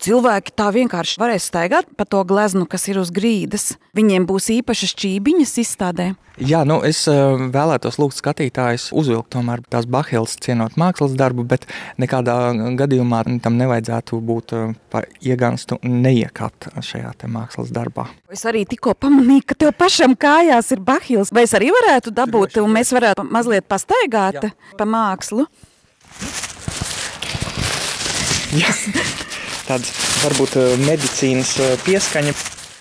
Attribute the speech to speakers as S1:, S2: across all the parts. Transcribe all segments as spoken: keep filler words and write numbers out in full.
S1: cilvēki tā vienkārši varēs staigāt pa to gleznu, kas ir uz grīdas. Viņiem būs īpašas čībiņas izstādē.
S2: Jā, nu es uh, vēlētos lūgt skatītājus uzvilkt tomēr tās bahīles cienot mākslas darbu, bet nekādā gadījumā tam nevajadzētu būt uh, pa ieganstu neiekāpt šajā te mākslas darbā.
S1: Es arī tikko pamanīju, ka tev pašam kājās ir bahīles. Vai es arī varētu dabūt, un mēs varētu mazliet pastaigāt Jā. Pa mākslu?
S2: Jā. Tāds varbūt medicīnas pieskaņa.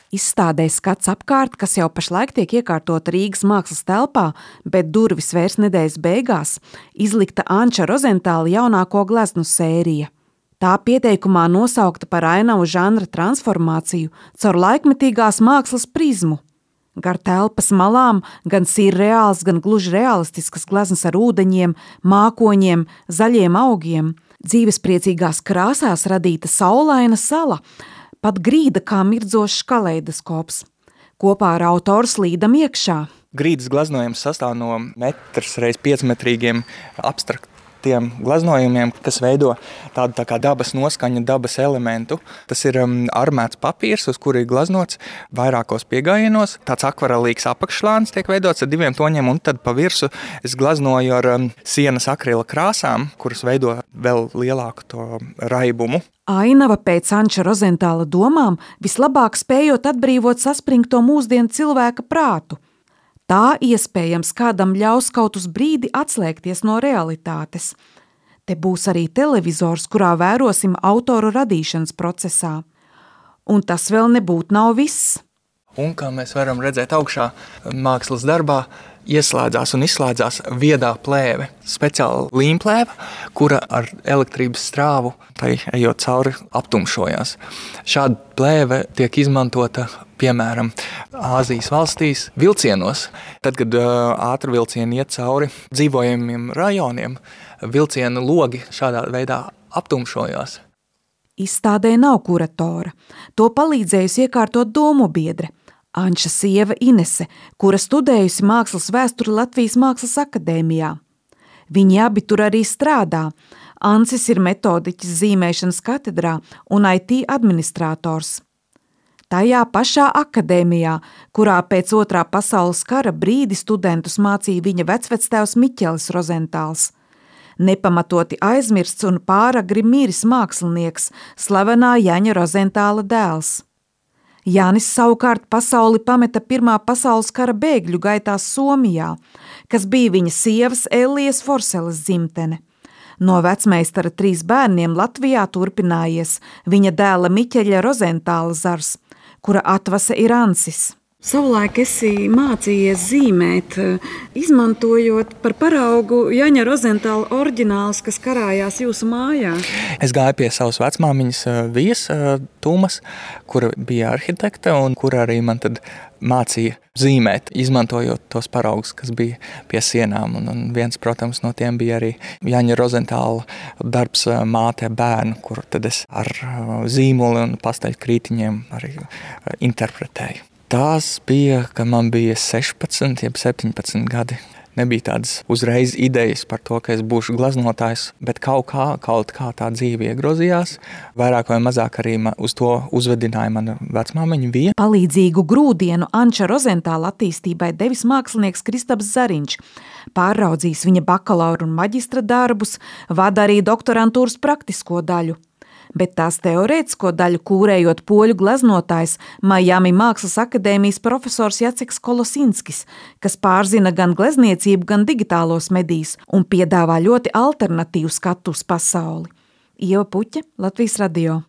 S1: Izstādē skats apkārt, kas jau pašlaik tiek iekārtota Rīgas mākslas telpā, bet durvis vērs nedēļas beigās, izlikta Anča Rozentāla jaunāko gleznu sērija. Tā pieteikumā nosaukta par ainavu žanra transformāciju caur laikmetīgās mākslas prizmu. Gar telpas malām gan sirreāls, gan gluži realistiskas gleznas ar ūdeņiem, mākoņiem, zaļiem augiem, dzīvespriecīgās krāsās radīta saulaina sala, pat grīda kā mirdzošs kaleidoskops. Kopā ar autoru slīdam iekšā.
S2: Grīdas gleznojums sastāv no metrs reiz piecmetrīgiem abstraktiem gleznojumiem, kas veido tādu tā kā dabas noskaņu, dabas elementu. Tas ir um, armēts papīrs, uz kuri ir gleznots vairākos piegājienos. Tāds akvarelīgs apakšslānis tiek veidots ar diviem toņiem, un tad pa virsu es gleznoju ar um, sienas akrila krāsām, kuras veido vēl lielāku to raibumu.
S1: Ainava pēc Anča Rozentāla domām vislabāk spējot atbrīvot saspringto mūsdienu cilvēka prātu. Tā iespējams kādam ļaus kaut uz brīdi atslēgties no realitātes. Te būs arī televizors, kurā vērosim autoru radīšanas procesā. Un tas vēl nebūtu nav viss.
S2: Un, kā mēs varam redzēt augšā mākslas darbā, ieslēdzās un izslēdzās viedā plēve, speciāla līmplēve, kura ar elektrības strāvu, tai ejot cauri, aptumšojās. Šāda plēve tiek izmantota, piemēram, Āzijas valstīs vilcienos. Tad, kad uh, ātrvilcieni iet cauri dzīvojamiem rajoniem, vilcienu logi šādā veidā aptumšojās.
S1: Izstādē nav kuratora. To palīdzējusi iekārtot domu biedre. Anča sieva Inese, kura studējusi mākslas vēsturi Latvijas Mākslas akadēmijā. Viņi abi tur arī strādā. Ancis ir metodiķis zīmēšanas katedrā un I T administrators. Tajā pašā akadēmijā, kurā pēc otrā pasaules kara brīdi studentus mācīja viņa vecvectēvs Miķelis Rozentāls. Nepamatoti aizmirsts un pāragri miris mākslinieks, slavenā Jaņa Rozentāla dēls. Jānis savukārt pasauli pameta Pirmā pasaules kara bēgļu gaitās Somijā, kas bija viņa sievas Ellijas Forseles dzimtene. No vecmeistara trīs bērniem Latvijā turpinājies viņa dēla Miķeļa Rozentāla zars, kura atvase ir Ancis. Savulaik esi mācījies zīmēt, izmantojot par paraugu Jaņa Rozentāla oriģināls, kas karājās jūsu mājā.
S2: Es gāju pie savas vecmāmiņas Vijas Tūmas, kura bija arhitekte un kura arī man tad mācīja zīmēt, izmantojot tos paraugus, kas bija pie sienām. Un, un viens, protams, no tiem bija arī Jaņa Rozentāla darbs Māte bērnu, kuru tad es ar zīmoli un pasteļkrītiņiem arī interpretēju. Tās bija, kad man bija sešpadsmit, jeb septiņpadsmit gadi. Nebija tādas uzreiz idejas par to, ka es būšu glaznotājs, bet kaut kā, kaut kā tā dzīve iegrozījās. Vairāk vai mazāk arī uz to uzvedināja mana vecmāmiņa Vija.
S1: Palīdzīgu grūdienu Anča Rozentāla attīstībai devis mākslinieks Kristaps Zariņš. Pārraudzījis viņa bakalaura un maģistra darbus, vada arī doktorantūras praktisko daļu. Bet tās teorētisko daļu kūrējot poļu gleznotājs Miami Mākslas akadēmijas profesors Jaceks Kolosinskis, kas pārzina gan glezniecību, gan digitālos medijus un piedāvā ļoti alternatīvu skatu uz pasauli. Ieva Puķe, Latvijas radio.